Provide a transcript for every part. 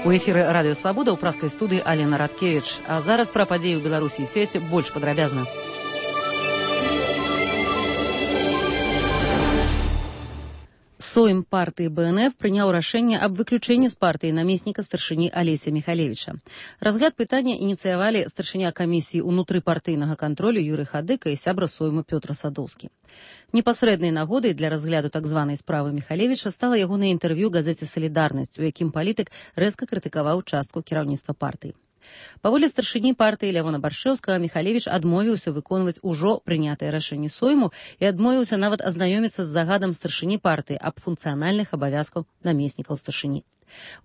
У эфіры радыё Свабода ў праскай студыі Алена Радкевіч. А зараз пра падзеі ў Беларусі і свеце больш падрабязна. Сойм партыі БНФ прыняў рашэнне аб выключэнні з партыі намесніка старшыні Алеся Михалевича. Разгляд пытання ініцыявалі старшыня камісіі ўнутрыпартыйнага кантролю Юрый Хадыка і сябра Сойму Пётр Садоўскі. Непасрэднай нагодай для разгляду так званай справы Михалевича стала ягонае інтэрв'ю газеце «Салідарнасць», у якім палітык рэзка крытыкаваў частку кіраўніцтва партыі. Паводле старшыні партыі Лявона Баршэўскага, Михалевич адмовіўся выконваць ужо прынятае рашэнне Сойму і адмовіўся нават азнаёміцца з загадам старшыні партыі аб функцыянальных абавязкаў намеснікаў старшыні.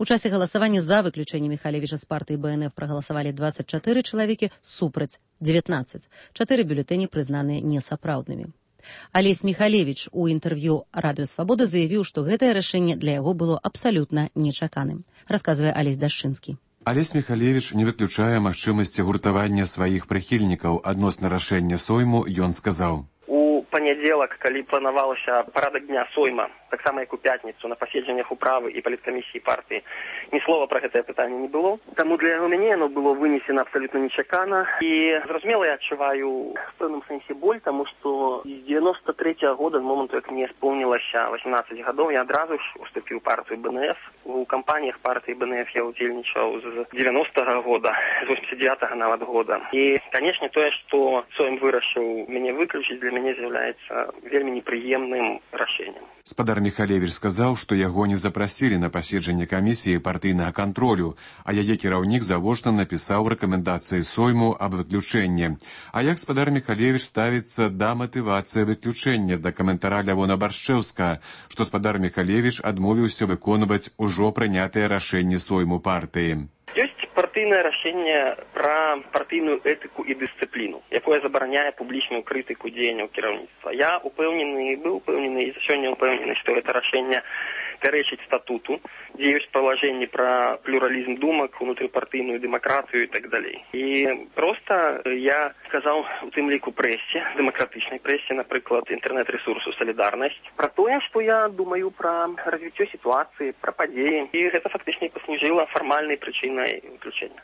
У часе галасавання за выключэнне Михалевича з партыі БНФ прагаласавалі 24 чалавекі, супраць 19. 4 бюлетэні прызнаныя несапраўднымі. Алесь Михалевич у інтэрв'ю радыё Свабода заявіў, што гэтае рашэнне для яго было абсалютна нечаканым, расказвае Алесь Дашчынскі. Алесь Михалевич не выключае магчымасці гуртавання сваіх прыхільнікаў адносна рашэння Сойму, ён сказаў. У панядзелак, калі планавалася парадак дня Сойма, таксама як у пятніцу на паседжаннях управы і паліткамісіі партыі, ні слова пра гэтае пытанне не было. Таму для мяне яно было вынесена абсалютна нечакана. І, зразумела, я адчуваю в пэўным сэнсе боль, таму што з 93-го года, з моманту, як мне споўнілася 18 гадоў, я адразу ж уступіў у партыю БНФ. У кампаніях партыі БНФ я удзельнічаў з 90-го года, з 89-го нават года. І, канешне, тое, што Сойм вырашыў мяне выключыць, для мяне з'яўляецца вельмі непрыемным рашэннем. Спадар Михалевич сказаў, што яго не запрасілі на паседжанне камісіі партыйнага кантролю, а яе кіраўнік завочна напісаў рэкамендацыі Сойму аб выключэнні. А як спадар Михалевич ставіцца да матывацыі выключэння, да каментара Лявона Баршэўскага, што спадар Михалевич адмовіўся выконваць ужо прынятыя рашэнні Сойму партыі. Ёсць партыйнае рашэнне пра партыйную этыку і дысцыпліну, якое забараняе публічную крытыку дзеянняў кіраўніцтва. Я быў упэўнены і сёння упэўнены, што гэта рашэнне пярэчыць статуту, дзе ёсць палажэнні пра плюралізм думак, унутрыпартыйную дэмакратыю і так далей. І проста я сказаў у тым ліку прэсе, дэмакратычнай прэсе, напрыклад, інтэрнэт-рэсурсу «Салідарнасць», пра тое, што я думаю пра развіццё сітуацыі, пра падзеі. І гэта фактычна паслужыла фармальнай прычынай выключэння.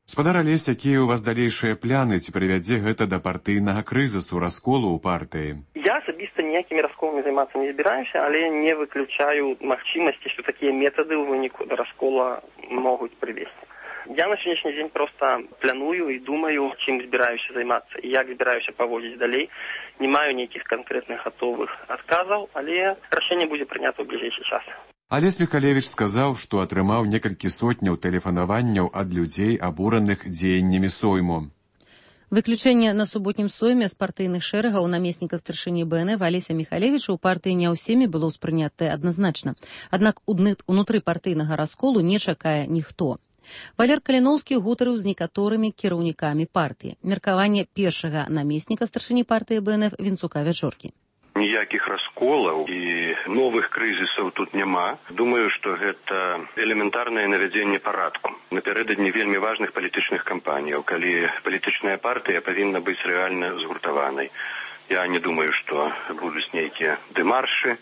Спадар Алесь, якія ў вас далейшыя пляны, ці прывядзе гэта да партыйнага крызісу, расколу ў партыі? Я асабіста ніякімі расколамі займацца не збіраюся, але не выключаю магчымасці, што такія метады ў выніку да раскола могуць прывесці. Я на сённяшні дзень проста планую і думаю, чым збіраюся займацца і як збіраюся паводзіць далей. Не маю нейкіх канкрэтных гатовых адказаў, але рашэнне будзе прынята ў бліжэйшы час. Алесь Михалевич сказаў, што атрымаў некалькі сотняў тэлефанаванняў ад людзей, абураных дзеяннямі Сойму. Выключэнне на суботнім Сойме з партыйных шэрагаў намесніка старшыні БНФ Алеся Михалевича ў партыі не ўсімі было ўспрынятае адназначна. Аднак унутры партыйнага расколу не чакае ніхто. Валер Каліноўскі гутарыў з некаторымі кіраўнікамі партыі. Меркаванне першага намесніка старшыні партыі БНФ Вінцука Вячоркі. Ніякіх расколаў і новых крызісаў тут няма. Думаю, што гэта элементарнае навядзенне парадку. Напярэдадні вельмі важных палітычных кампаніяў, калі палітычная партыя павінна быць рэальна згуртаванай. Я не думаю, што будуць нейкія дэмаршы.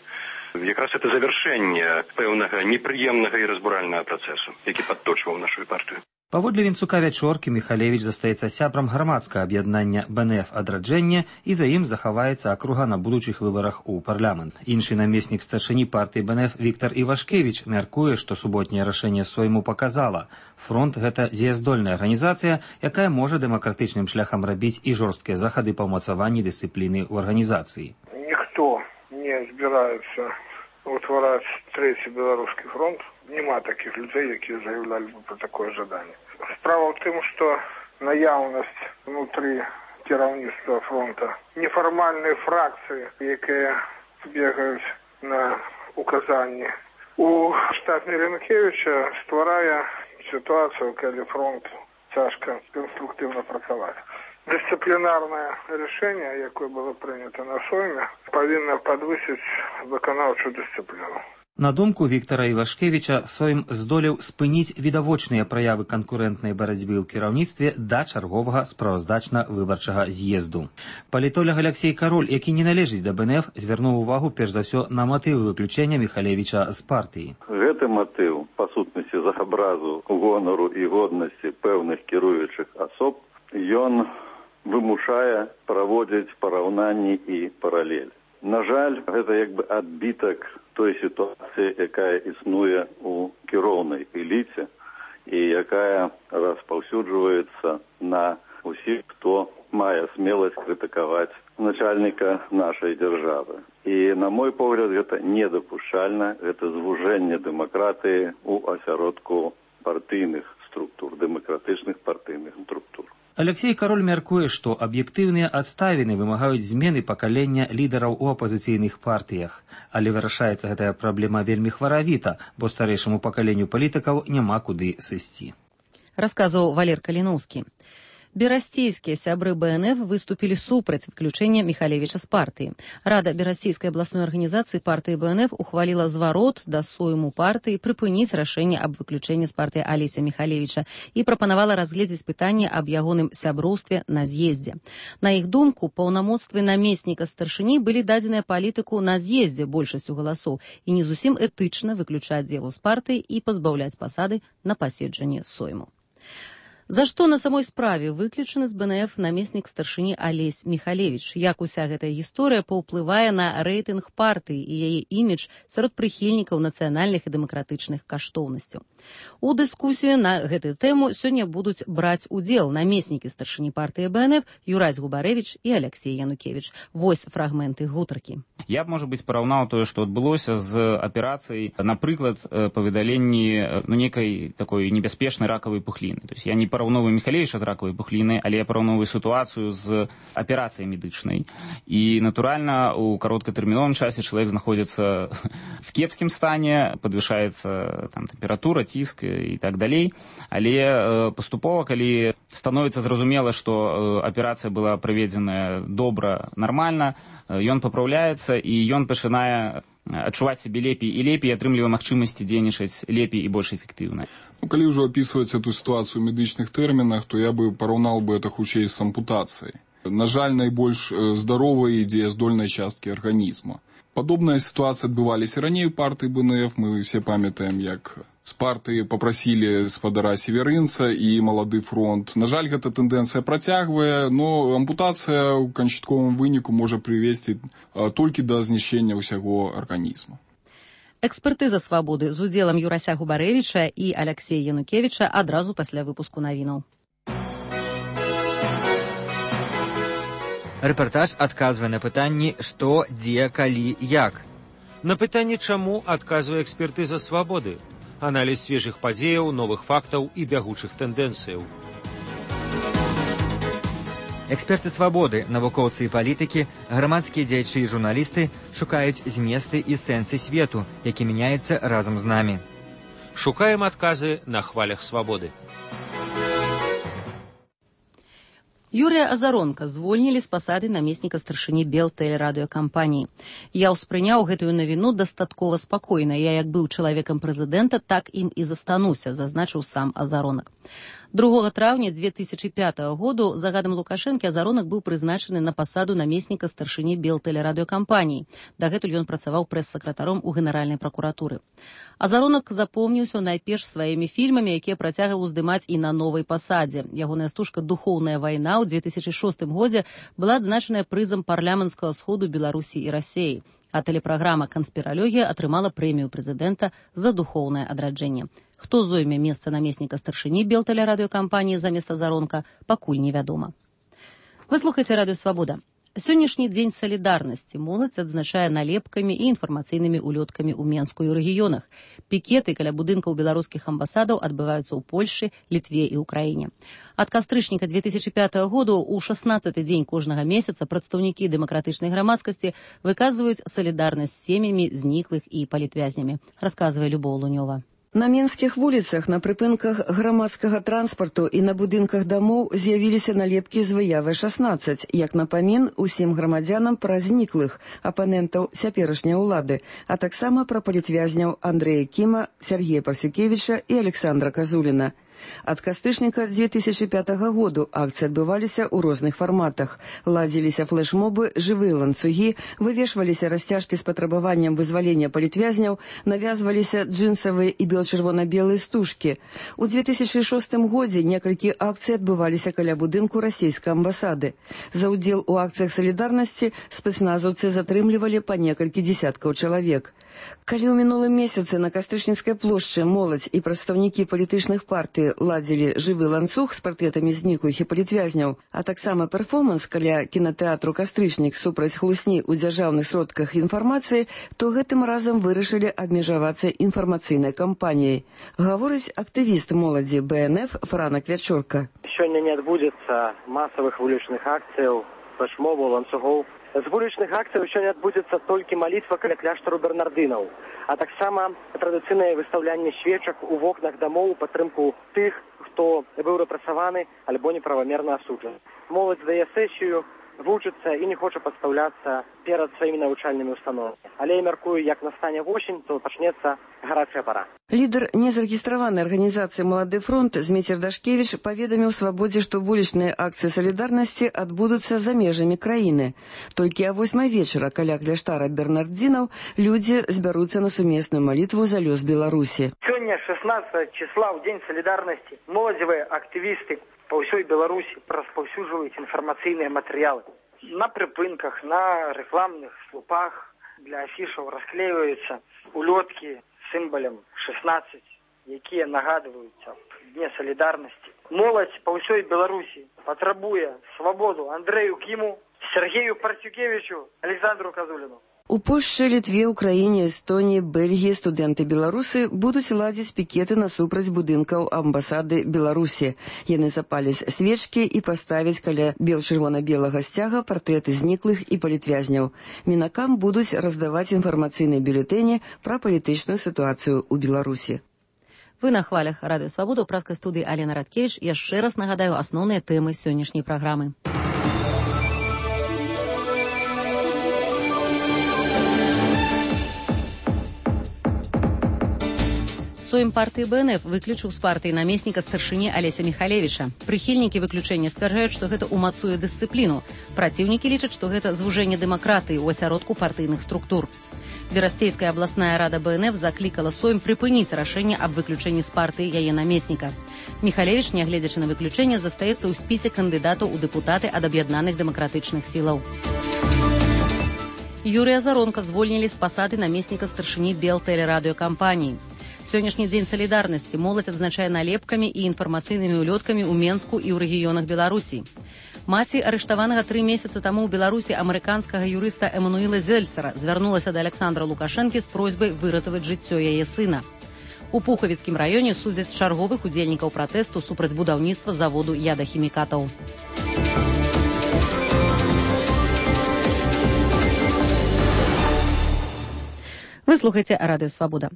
Якраз это завяршэнне пэўнага непрыемнага і разбуральнага працэсу, які падточваў нашу партыю. Паводле Вінцука Вячоркі, Михалевич застаецца сябрам грамадскага аб'яднання БНФ «Адраджэнне» і за ім захаваецца акруга на будучых выбарах у парламент. Іншы намеснік старшыні партыі БНФ Віктар Івашкевіч мяркуе, што суботняе рашэнне Сойму паказала. Фронт – гэта дзеяздольная арганізацыя, якая можа дэмакратычным шляхам рабіць і жорсткія захады па ўмацаванні дысцыпліны ў арганізацыі. Ніхто не збіраецца утвараць трэці беларускі фронт. Нема такіх людзей, якія заяўлялі бы пра такое жаданне. Справа ў тым, што наяўнасць внутры кіраўніцтва фронта нефармальныя фракцыі, якія бегаюць на указанні у штаб Міленкевіча, стварае сітуацыю, калі фронт цяжка канструктыўна працаваць. Дысцыплінарнае рашэнне, якое было прынята на Сойме, павінна падвысіць выканаўчую дысцыпліну. На думку Віктара Івашкевіча, Сойм здолеў спыніць відавочныя праявы канкурэнтнай барацьбы ў кіраўніцтве да чарговага справаздачна-выбарчага з'езду. Палітолог Алексей Кароль, які не належыць да БНФ, звярнуў увагу перш за ўсё на матыў выключэння Міхалевіча з партыі. Гэты матыў, па сутнасці з абразу гонару і годнасці пэўных кіруючых асоб, ён вымушае праводзіць параўнанні і паралель. На жаль, гэта як бы адбітак той сітуацыі, якая існуе ў кіроўнай эліце і якая распаўсюджваецца на ўсіх, хто мае смеласць крытыкаваць начальніка нашай дзяржавы. І, на мой погляд, гэта недапушчальна, гэта звужэнне дэмакратыі ў асяродку партыйных структур, дэмакратычных партыйных структур. Алексей Кароль мяркуе, што аб'ектыўныя адставіны вымагаюць змены пакалення лідараў у апазіцыйных партыях. Але вырашаецца гэтая праблема вельмі хваравіта, бо старэйшаму пакаленню палітыкаў няма куды сысці. Расказваў Валер Каліноўскі. Берасцейскія сябры БНФ выступілі супраць выключэння Міхалевіча з партыі. Рада Берасцейскай абласной арганізацыі партыі БНФ ухваліла зварот да сойму партыі прыпыніць рашэнне аб выключэнні з партыі Алеся Міхалевіча і прапанавала разгледзець пытанне аб ягоным сяброўстве на з'ездзе. На іх думку, паўнамоцтвы намесніка старшыні былі дадзеныя палітыку на з'ездзе большасцю галасоў і не зусім этычна выключаць яго з партыі і пазбаўляць пасады на паседжанні сойму. За што на самой справе выключаны з БНФ намеснік старшыні Алесь Міхалевіч? Як уся гэтая гісторыя паўплывае на рэйтынг партыі і яе імідж сярод прыхільнікаў нацыянальных і дэмакратычных каштоўнасцяў? У дыскусію на гэтую тэму сёння будуць браць удзел намеснікі старшыні партыі БНФ Юрась Губарэвіч і Алексей Янукевіч. Вось фрагменты гутаркі. Я б, можа быць, параўнаў тое, што адбылося з аперацыяй, напрыклад, па выдаленні нейкай такой небяспечнай ракавай пухліны. То есть я не параўновую Міхалевіча з ракавай пухлінай, але я параўновую сітуацыю з аперацыяй медычнай. І, натуральна, у кароткатэрміновым часе чалавек знаходзіцца в кепскім стане, падвышаецца там тэмпература, ціск і так далей. Але паступова, калі становіцца зразумела, што аперацыя была праведзеная добра, нармальна, ён папраўляецца і ён пачынае адчуваць сябе лепей і лепей, атрымлівае магчымасці дзейнічаць лепей і больш эфектыўна. Калі ўжо апісваць эту сітуацыю ў медычных тэрмінах, то я бы параўнаў бы это хутчэй з ампутацыяй. На жаль, найбольш здаровай і дзеяздольнай часткі арганізма. Падобная сітуацыя адбываліся раней у партыі БНФ. Мы все памятаем, як з партыі папрасілі спадара Северынца і Малады фронт. На жаль, гэта тэндэнцыя працягвае, но ампутацыя ў канчатковым выніку можа прывесці толькі да знішчэння ўсяго арганізма. Экспертыза «Свабоды» з удзелам Юрася Губарэвіча і Алексея Янукевіча адразу пасля выпуску навінаў. Рэпартаж адказвае на пытанні «Што, дзе, калі, як?». На пытанне «Чаму?» адказвае экспертыза «Свабоды». Аналіз свежых падзеяў, новых фактаў і бягучых тэндэнцыяў. Эксперты «Свабоды», навукоўцы і палітыкі, грамадскія дзеячы і журналісты шукаюць зместы і сэнсы свету, які мяняецца разам з намі. Шукаем адказы на хвалях «Свабоды». Юрія Азаронка звольнілі з пасады намесніка старшыні Белтэлерадыёкампаніі. Я ўспрыняў гэтую навіну дастаткова спакойна. Я як быў чалавекам прэзідэнта, так ім і застануся, зазначыў сам Азаронак. 2 траўня 2005 году загадам Лукашэнкі Азаронак быў прызначаны на пасаду намесніка старшыні Белтэлерадыёкампаніі. Дагэтуль ён працаваў прэс-сакратаром у Генеральнай пракуратуры. Азаронак запомніўся найперш сваімі фільмамі, якія працягваў уздымаць і на новай пасадзе. Ягоная стужка «Духоўная вайна» ў 2006 годзе была адзначаная прызам парламенцкага сходу Беларусі і Расеі, а тэлепраграма «Канспіралогія» атрымала прэмію прэзідэнта за духоўнае адраджэнне. Хто зойме месца намесніка старшыні Белтэлерадыёкампаніі замест Азаронка, пакуль невядома. Вы слухаеце радыё «Свабода». Сённяшні дзень салідарнасці моладзь адзначае налепкамі і інфармацыйнымі улёткамі ў Менску і ў рэгіёнах. Пікеты каля будынкаў беларускіх амбасадаў адбываюцца ў Польшы, Літве і ўкраіне. Ад кастрычніка 2005 году ў 16-й дзень кожнага месяца прадстаўнікі дэмакратычнай грамадскасці выказваюць салідарнасць з сем'ямі зніклых і палітвязнямі, расказвае Любоў Лунёва. На менскіх вуліцах, на прыпынках грамадскага транспарту і на будынках дамоў з'явіліся налепкі з выявай 16, як напамін усім грамадзянам пра зніклых апанентаў цяперашняй улады, а таксама пра палітвязняў Андрэя Кіма, Сергея Парсюкевіча і Александра Казуліна. Ад кастычніка 2005 году акцыі адбываліся ў розных фарматах. Ладзіліся флэшмобы, жывыя ланцугі, вывешваліся расцяжкі з патрабаваннем вызвалення палітвязняў, навязваліся джинсавыя і бел-чырвона-белыя стужкі. У 2006 годзе некалькі акцый адбываліся каля будынку расійскай амбасады. За ўдзел у акцыях салідарнасці спецназаўцы затрымлівалі па некалькі дзесяткаў чалавек. Калі ў мінулым месяцы на Кастычніцкай плошчы моладзь і прадстаўнікі палітычных партый ладзілі жывы ланцуг з партрэтамі зніклых і палітвязняў, а таксама перформанс каля кінатэатру «Кастрычнік» супраць хлусні ў дзяржаўных сродках інфармацыі, то гэтым разам вырашылі абмежавацца інфармацыйнай кампаніяй. Гаворыць актывіст моладзі БНФ Франак Вячорка. Сёння не адбудзецца масавых вулічных акцыяў, флэшмобаў, ланцугоў. З вулічных акцый сёння адбудзецца толькі малітва каля кляштару бернардынаў, а таксама традыцыйнае выстаўлянне свечак у вокнах дамоў у падтрымку тых, хто быў рэпрэсаваны альбо неправамерна асуджаны. Моладзь дае сесію, вучыцца і не хоча падстаўляцца перад сваімі навучальнымі установамі. Але я мяркую, як настане восень, то пачнецца гарачая пара. Лідар незарэгістраванай арганізацыі «Малады фронт» Зміцер Дашкевіч паведаміў «Свабодзе», што вулічныя акцыі салідарнасці адбудуцца за межамі краіны. Толькі о 8 вечара каля кляштара бернардзінаў людзі збяруцца на сумесную малітву за лёс Беларусі. Сёння 16 числа, ў дзень салідарнасці, моладзевыя актывісты по ўсёй Беларусі распаўсюджваюць інфармацыйныя матэрыялы. На прыпынках, на рэкламных слупах для афішаў расклеиваюцца улёткі з сімвалам 16, якія нагадваюць аб дне салідарнасці. Моладзь по ўсёй Беларусі патрабуе свабоду Андрэю Кіму, Сергею Парсюкевічу, Александру Казуліну. У Польшчы, Літве, Украіне, Эстоніі, Бельгіі студэнты-беларусы будуць ладзіць пікеты насупраць будынкаў амбасады Беларусі. Яны запаляць свечкі і паставяць каля бел-чырвона-белага сцяга партрэты зніклых і палітвязняў. Мінакам будуць раздаваць інфармацыйныя бюлетэні пра палітычную сітуацыю ў Беларусі. Вы на хвалях Радыё Свабода, у праскай студыі Алена Радкевіч. Яшчэ раз нагадаю асноўныя тэмы сённяшняй праграмы. Сойм партыі БНФ выключыў з партыі намесніка старшыні Алеся Михалевіча. Прыхільнікі выключэння сцвярджаюць, што гэта ўмацуе дысцыпліну. Праціўнікі лічаць, што гэта звужэнне дэмакратыі ў асяродку партыйных структур. Берасцейская абласная рада БНФ заклікала Сойм прыпыніць рашэнне аб выключэнні з партыі яе намесніка. Михалевіч, нягледзячы на выключэнне, застаецца ў спісе кандыдатаў у дэпутаты ад аб'яднаных дэмакратычных сілаў. Юрыя Заронка звольнілі з пасады намесніка старшыні Белтэлерадыёкампаніі. Сённяшні дзень салідарнасці моладзь адзначае налепкамі і інфармацыйнымі ўлёткамі ў Менску і ў рэгіёнах Беларусі. Маці арыштаванага 3 месяцы таму ў Беларусі амерыканскага юрыста Эмануіла Зельцера звярнулася да Александра Лукашэнкі з просьбай выратаваць жыццё яе сына. У Пухавіцкім раёне судзяць чарговых удзельнікаў пратэсту супраць будаўніцтва заводу ядахімікатаў. Вы слухаеце Радыё Свабода.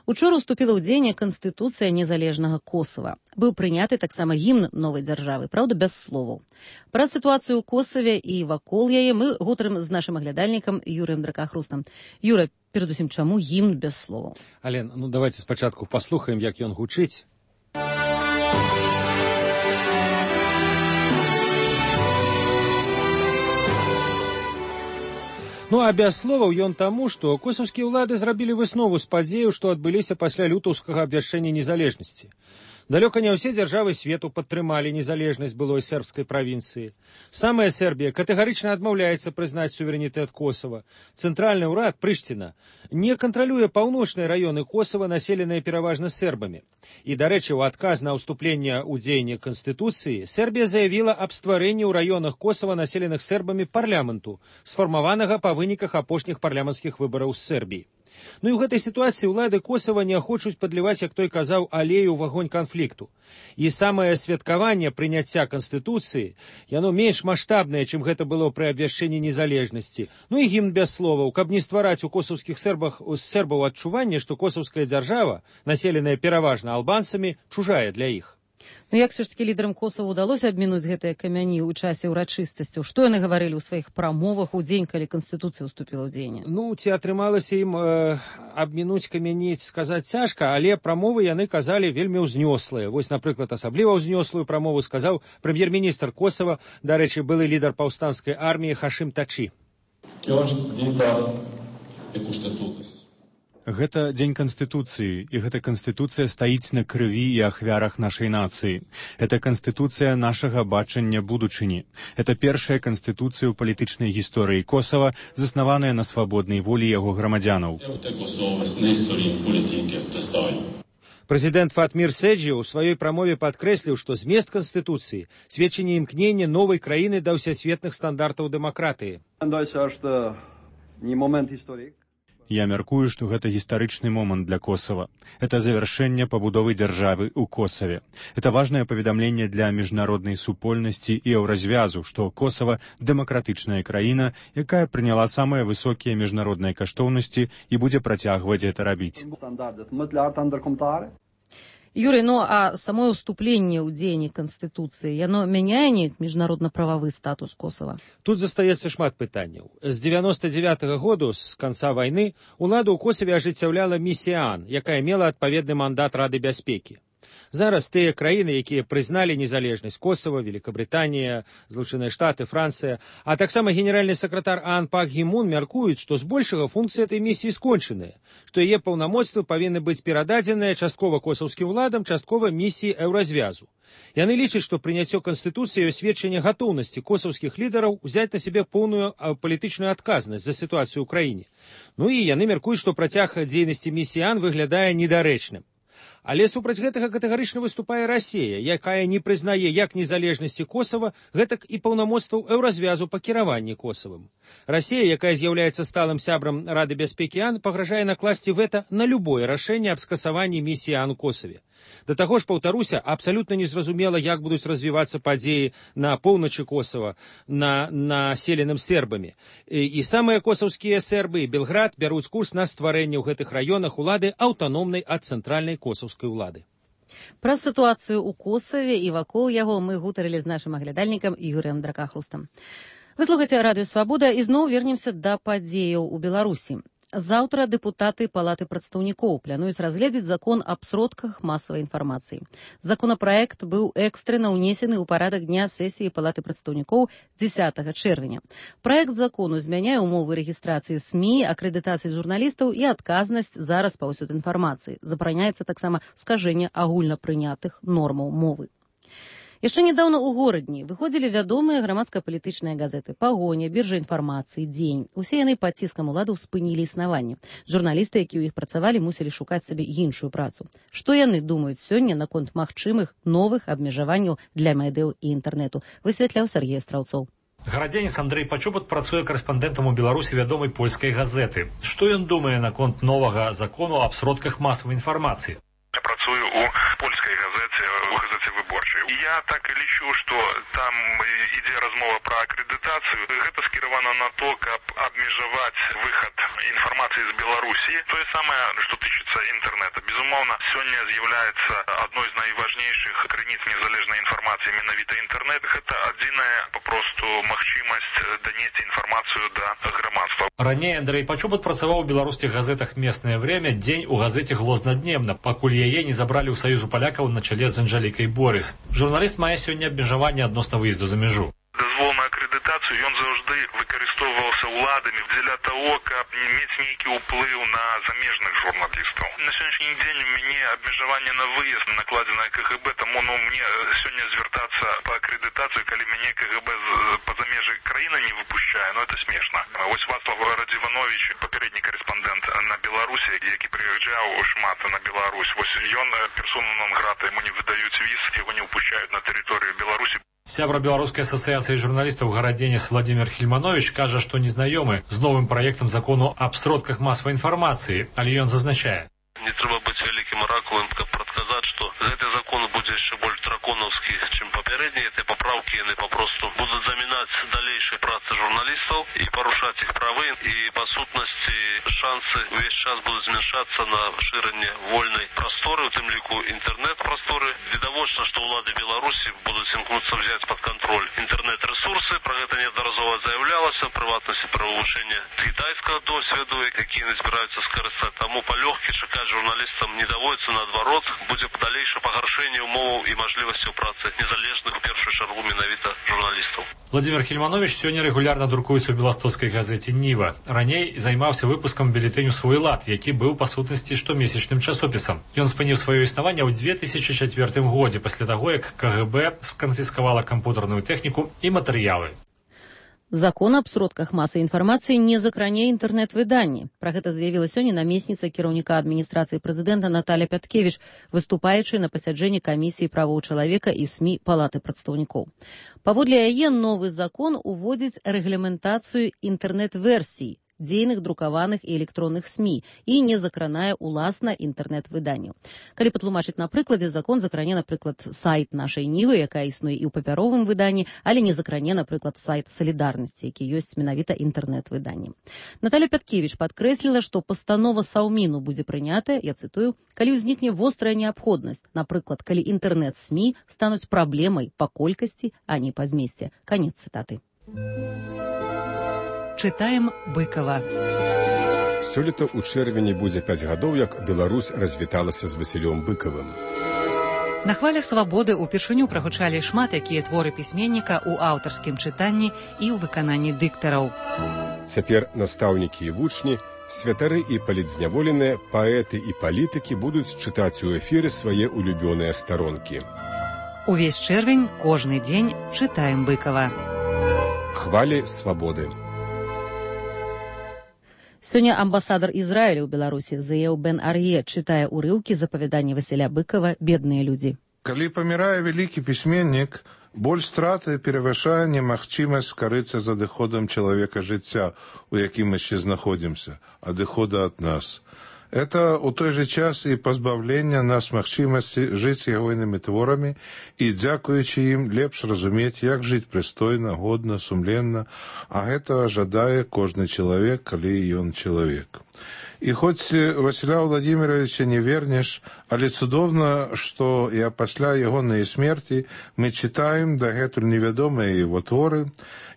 Учора ўступіла ў дзеянне Канстытуцыя незалежнага Косава. Быў прыняты таксама гімн новай дзяржавы, праўда, без словаў. Пра сітуацыю ў Косаве і вакол яе мы гутарым з нашым аглядальнікам Юрыем Дракахрустам. Юра, перадусім, чаму гімн без словаў? Ален, давайте спачатку паслухаем, як ён гучыць. А без словаў ён таму, што косаўскія ўлады зрабілі выснову з падзеяў, што адбыліся пасля лютаўскага абвяшчэння незалежнасці. Далёка не ўсе дзяржавы свету падтрымалі незалежнасць былой сербскай правінцыі. Самая Сербія катэгарычна адмаўляецца прызнаць суверэнітэт Косава. Цэнтральны ўрад Прышціна не кантралюе паўночныя раёны Косава, населеныя пераважна сербамі. І, дарэчы, у адказ на ўступленне ў дзеянне Канстытуцыі Сербія заявіла аб стварэнні ў раёнах Косава, населеных сербамі, парламенту, сфармаванага па выніках апошніх парламенцкіх выбараў з Сербіі. Ну і ў гэтай сітуацыі ўлады Косава не хочуць падліваць, як той казаў, алею ў агонь канфлікту. І самае святкаванне прыняцця Канстытуцыі, яно менш маштабнае, чым гэта было пры абвяшчэнні незалежнасці. Ну і гімн без словаў, каб не ствараць у косаўскіх сербаў адчуванне, што косаўская дзяржава, населеная пераважна албанцамі, чужая для іх. Ну як все ж таки лідарам Косава удалося абмінуць гэтыя камяні ў часе ўрачыстасцяў? Што яны гаварылі ў сваіх прамовах у дзень, калі Канстытуцыя ўступіла ў дзеянне? Ну, ці атрымалася ім абмінуць камяні, сказаць цяжка, але прамовы яны казалі вельмі ўзнёслыя. Вось, напрыклад, асабліва ўзнёслую прамову сказаў прэм'ер-міністр Косава, дарэчы, былы лідар паўстанцкай арміі Хашим Тачи. Гэта дзень Канстытуцыі, і гэта Канстытуцыя стаіць на крыві і ахвярах нашай нацыі. Гэта Канстытуцыя нашага бачання будучыні. Гэта першая Канстытуцыя ў палітычнай гісторыі Косава, заснаваная на свабоднай волі яго грамадзянаў. Прэзідэнт Фатмір Седжі ў сваёй прамове падкрэсліў, што змест Канстытуцыі сведчанне імкнення новай краіны да ўсесветных стандартаў дэмакратыі. Я мяркую, што гэта гістарычны момант для Косава. Это завяршэнне пабудовы дзяржавы ў Косаве. Это важнае паведамленне для міжнароднай супольнасці і еўразвязу, што Косава дэмакратычная краіна, якая прыняла самыя высокія міжнародныя каштоўнасці і будзе працягваць гэта рабіць. Юрий, ну а самое уступленне ў дзеянні Канстытуцыі, яно мяняе неяк міжнародна-прававы статус Косава? Тут застаецца шмат пытанняў. З 99-го году, з канца вайны, уладу ў Косаве ажыццяўляла місія АН, якая мела адпаведны мандат Рады бяспекі. Зараз тыя краіны, якія прызналі незалежнасць Косава, Великабрытанія, Злучаныя Штаты, Францыя, а таксама генеральны сакратар АН Пак Гі Мун мяркуюць, што збольшага функцыі этой місіі скончаныя, што яе паўнамоцтвы павінны быць перададзеныя часткова косаўскім уладам, часткова місіі еўразвязу. Яны лічаць, што прыняццё Канстытуцыі ёсць сведчанне гатоўнасці косаўскіх лідараў узяць на сябе поўную палітычную адказнасць за сітуацыю ў краіне. Ну і яны мяркуюць, што працяг дзейнасці місіі АН выглядае недарэчным. Але супраць гэтага катэгарычна выступае Расія, якая не прызнае як незалежнасці Косава, гэтак і паўнамоцтваў еўразвязу па кіраванні Косавым. Расія, якая з'яўляецца сталым сябрам Рады бяспекі АН, пагражае накласці вэта на любое рашэнне аб скасаванні місіі АН у Косаве. Да таго ж, паўтаруся, абсалютна незразумела, як будуць развівацца падзеі на поўначы Косава, на населеным сербамі. І самыя косаўскія сербы і Белград бяруць курс на стварэнне ў гэтых раёнах улады аўтаномнай ад цэнтральнай косаўскай улады. Пра сітуацыю ў Косаве і вакол яго мы гутарылі з нашым аглядальнікам Юрыем Дракахрустам. Вы слухаеце Радыё Свабода і зноў вернемся да падзеяў у Беларусі. Заўтра дэпутаты Палаты прадстаўнікоў плануюць разгледзець закон аб сродках масавай інфармацыі. Законапраект быў экстрэнна ўнесены ў парадак дня сесіі Палаты прадстаўнікоў 10 чэрвеня. Праект закону змяняе ўмовы рэгістрацыі СМІ, акрэдытацыі журналістаў і адказнасць за распаўсюд інфармацыі. Забараняецца таксама скажэнне агульнапрынятых нормаў мовы. Яшчэ нядаўна ў горадні выходзілі вядомыя грамадска-палітычныя газеты «Пагоня», «Біржа інфармацыі», «Дзень». Усе яны пад ціскам уладаў спынілі існаванне. Журналісты, якія ў іх працавалі, мусілі шукаць сабе іншую працу. Што яны думаюць сёння наконт магчымых новых абмежаванняў для медыяў і інтэрнэту, высвятляў Сергей Страўцоў. Гарадзенец Андрэй Пачобат працуе карэспандэнтам у Беларусі вядомай польскай газеты. Што ён думае наконт новага закону аб сродках масавай інфармацыі? Я працую у польскай газеце, у газеце «Выборчай». Я так і лічу, што там ідзе размова пра акрэдытацыю. Гэта скіравана на то, каб абмежаваць выхад інфармацыі з Беларусі. Тое самае, што тычыцца інтэрнэта. Безумоўна, сёння з'яўляецца адной з найважнейшых крыніц незалежнай інфармацыі менавіта інтэрнэт. Гэта адзіная папросту магчымасць данесці інфармацыю да грамадства. Раней Андрэй Пачобат працаваў у беларускіх газетах «Местное время», «Дзень» у газеце «Глознаднемна», пакуль яе не забралі ў Саюзу палякаў на чале з Анжалікай Борыс. Журналіст мае сёння абмежаванне адносна выезду за мяжу. Дазвол на акрэдытацыю ён заўжды выкарыстоўваўся ўладамі дзеля таго, каб мець нейкі ўплыў на замежных журналістаў. На сённяшні дзень у мяне абмежаванне на выезд накладзенае КГБ, таму мне сёння звяртацца па акрэдытацыю, калі мяне КГБ па-за межы краіны не выпушчае, это смешна. Вось Вацлав Радзіванович, папярэдні карэспандэнт на Беларусі, які прыязджаў шмат на Беларусь, вось ён персона нон грата, яму не выдаюць віз, яго не выпушчаюць на тэрыторыю Беларусі. Сябра Беларускай ассоциации журналистов Городенец Владимир Хельманович кажа, што незнаёмы з новым праектам закону аб сродках масавай інфармацыі, але ён зазначае. Не трэба быць вялікім аракулам, каб прадказаць, што гэты закон будзе яшчэ больш драконаўскі, чым папярэднія. Гэтыя папраўкі яны папросту будуць замінаць далейшай працы журналістаў і парушаць іх правы. І па сутнасці шансы ўвесь час будуць змяншацца на шырэнне вольнай прасторы, у тым ліку інтэрнэт-прасторы. Відавочна, што ўлады Беларусі будуць імкнуцца ўзяць пад кантроль інтэрнэт-рэсурсы. Пра гэта неаднаразова заяўлялася, ў прыватнасці пра вывучэнне кітайскага досведу, які яны збіраюцца скарыстаць. Таму палёгкі чакаць журналістам не даводіцца, наадварот, будзе далейшае пагаршэнне умоваў і мажлівасцяў працы незалежных, у першую чаргу, менавіта журналістаў. Владимир Хельманович сёння рэгулярна друкуецца ў беластоцкай газеце «Ніва». Раней займаўся выпускам бюлетэню «Свой лад», які быў, па сутнасці, штомесячным часопісам. Ён спыніў сваё існаванне ў 2004 годзе, пасля таго, як КГБ сканфіскавала кампутарную тэхніку і матэрыялы. Закон аб сродках масавай інфармацыі не закране інтэрнэт-выданні. Пра гэта заявіла сёння намесніца кіраўніка адміністрацыі прэзідэнта Наталья Пяткевіч, выступаючы на пасяджэнні камісіі правоў чалавека і СМІ Палаты прадстаўнікоў. Паводле яе новы закон уводзіць рэгламентацыю інтэрнэт-версій дзейных друкаваных і электронных СМІ і не закранае уласна інтэрнэт-выданняў. Калі патлумачыць на прыкладзе, закон закране, напрыклад, сайт нашай Нівы, якая існуе і ў папяровым выданні, але не закране, напрыклад, сайт Салідарнасці, які ёсць менавіта інтэрнэт-выданнем. Наталья Пяткевіч падкрэсліла, што пастанова Саўміну будзе прынятая, я цытую, калі ўзнікне вострая неабходнасць, напрыклад, калі інтэрнэт-СМІ стануць праблемай па колькасці, а не па змесце. Канец цытаты. Чытаем Быкова. Сёлета ў чэрвені будзе 5 гадоў, як Беларусь развіталася з Васілём Быкавым. На хвалях свабоды ўпершыню прагучалі шмат якія творы пісьменніка ў аўтарскім чытанні і ў выкананні дыктараў. Цяпер настаўнікі і вучні, святары і палітзняволеныя, паэты і палітыкі будуць чытаць у эфіры свае улюбёныя старонкі. Увесь чэрвень, кожны дзень чытаем Быкава. Хвалі свабоды. Сёння амбасадар Ізраіля ў Беларусі Зеяў Бен Ар'е чытае ўрыўкі з апавядання Васіля Быкава «Бедныя людзі». Калі памірае вялікі пісьменнік, боль страты перавышае немагчымасць скарыцца за адыходам чалавека жыцця, у якім мы яшчэ знаходзімся, адыхода ад нас. Это у той же час і пазбаўлення нас магчымасці жыць ягонымі творамі і, дзякуючы ім, лепш разумець, як жыць прыстойна, годна, сумленна, а гэтага жадае кожны чалавек, калі ён чалавек. І хоць Васіля Владимировича не вернеш, але цудоўна, што і пасля ягонай смерці мы чытаем дагэтуль невядомыя яго творы.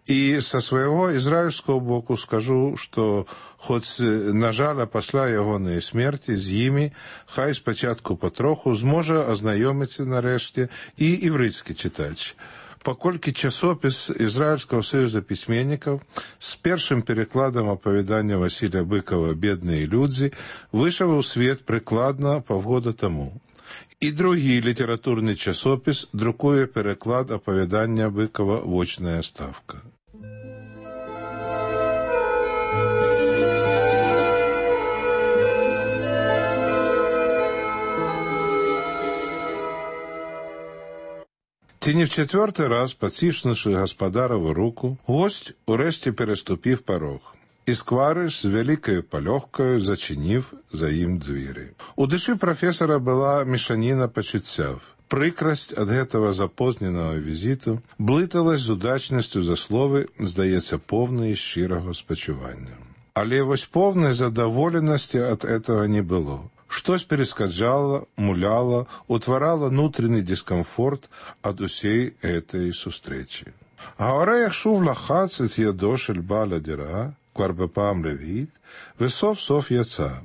І са свайго ізраільскага боку скажу, што хоць, на жаль, пасля ягонай смерці з імі, хай спачатку патроху зможа азнаёміцца нарэшце і іврыцкі чытач. Паколькі часопіс Ізраільскага саюза пісьменнікаў з першым перакладам апавядання Васіля Быкава «Бедныя людзі» выйшаў у свет прыкладна паўгода таму. І другі літаратурны часопіс друкуе пераклад апавядання Быкава «Вочная ставка». Ці не в четвертий раз, поціснувши господарову руку, гость урешті переступив порог. І сквариш з великою польохкою зачинив за їм двері. У душі професора була мішаніна почуттів. Прикрость ад гэтага запозненого візиту блыталась з удачністю за слови, здається, повної щирого спачування. Але вось повної задоволеності ад этого не було. Штось перескаджало, муляло, утварало внутренний дискомфорт ад усей этой сустрэчи. Гавара яхшув лахацит ядошель баля дира, кварбепам левит, весов сов яца.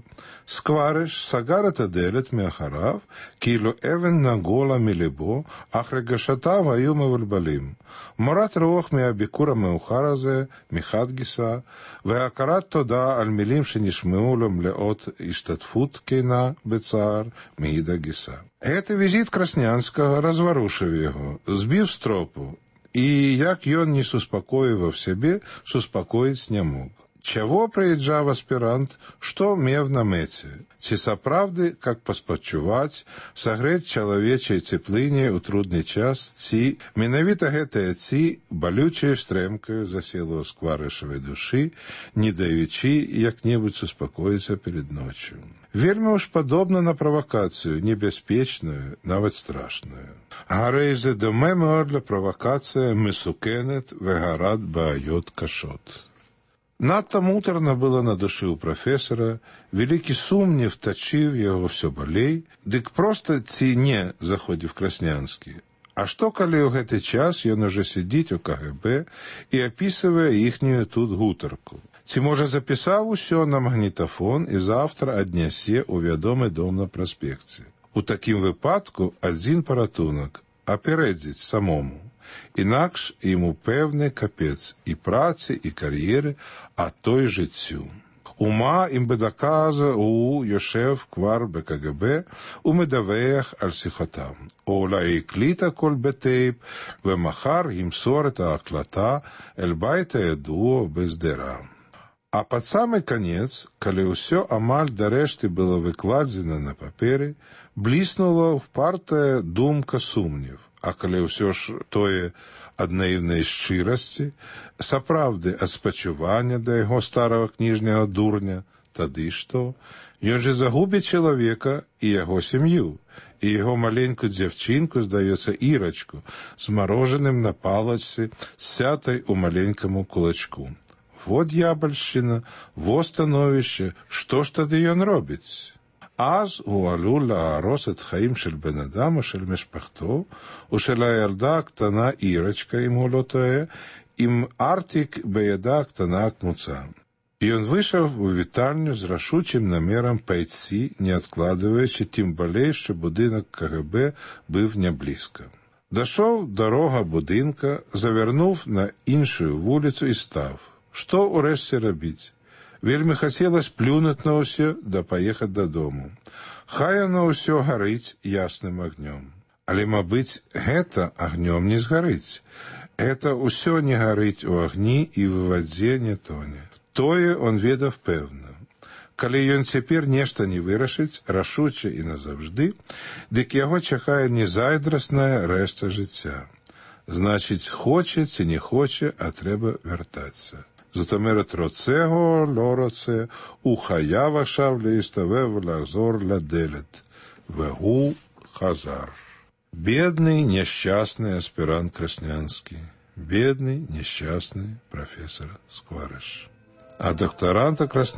Сквариш сагарат аделет меахарав, кило эвен нагола милебо, ахрегашата ваю мевальбалим. Морат рох меабикура меухаразе, михадгиса, веакарат тода альмилим шенишмеулем леот иштатфут кейна бецар миида гиса. Гэты візит Краснянскага разворушив його, збив з тропу, і як ён не суспакоював себе, суспакоїць не мог. Чего приезжав аспирант, что мев на мэце? Ці сапраўды, как паспачуваць, сагрэць чалавечай цеплыне ў трудны час, ці менавіта гэтая ці балючаю стрэмкаю засела ў скварышавай душы, не даючы як-небудзь успакоіцца перед ночью. Вельмі уж падобна на правакацыю, небяспечную, нават страшную. Гарэйзе до мемор для правакацыя месукенет вегарат баайот кашот. Надто муторно было на душы ў прафесара, вялікі сумнев тачыў яго ўсё балей, дык проста ці не заходзіў Краснянскі. А што, калі ў гэты час ён уже сидзіць у КГБ і апісвае іхнюю тут гутарку? Ці, можа, запісаў усё на магнітафон і завтра аднясе ў вядомы дом на праспекце? У такім выпадку адзін паратунак – апярэдзіць самому. Інакш ему певний капець і праці, і кар'єри, а то й життю. Ума им би доказа у Йошев квар БКГБ у медавеях аль-сихотам. Ола і кліта коль бетейб, вемахар їм сорета аклата, ельбайта едуо бездера. А пад самый конец, калі ўсё амаль дарэшты было выкладзена на паперы, бліснула впартая думка сумнев. А калі ўсё ж тое ад наіўнай шчырасці, сапраўды ад спачування да яго старого кніжняга дурня, тады што? Ён же загубіць чалавека і яго сям'ю, і яго маленькую дзяўчынку, здаецца, Ірачку, з марожаным на палачцы, сятай у маленькаму кулачку. Вот ябальшчына, во становішча, што ж тады ён робіць? אז הוא עלול להרוס את חיים של בן אדם או של משפחתו, או של הילדה הקטנה אירצ'קה, אם הוא לא טועה, עם ארטיק בידה הקטנה כמוצה. Ён вышел у вітальню з рашучим намером пайти, не откладываючи, тим болей, що будинок КГБ був не близько. Дошов дорога будинка, завернув на іншу вулицю і став. Що урешті робить? Вельмі хацелось плюнуть на ўсё, да паехаць дадому. Хай оно ўсё гарыць ясным агнём. Але, мабыць, гэта агнём не згарыць. Гэта ўсё не гарыць у агні і в вадзе не тоне. Тое он ведаў пэўна. Калі ён цяпер нешта не вырашыць, рашуча і назаўжды, дык яго чакае незайдрасная рэшта жыцця. Значыць, хоче ці не хоче, а трэба вяртацца. זאת אומרת, רוצה הוא, לא רוצה, הוא חייב עכשיו להסתובב ולחזור לדלת. והוא חזר. Бедный, несчастный аспирант Краснянский. Бедный, несчастный профессор Скворыш. А докторанта Краснянского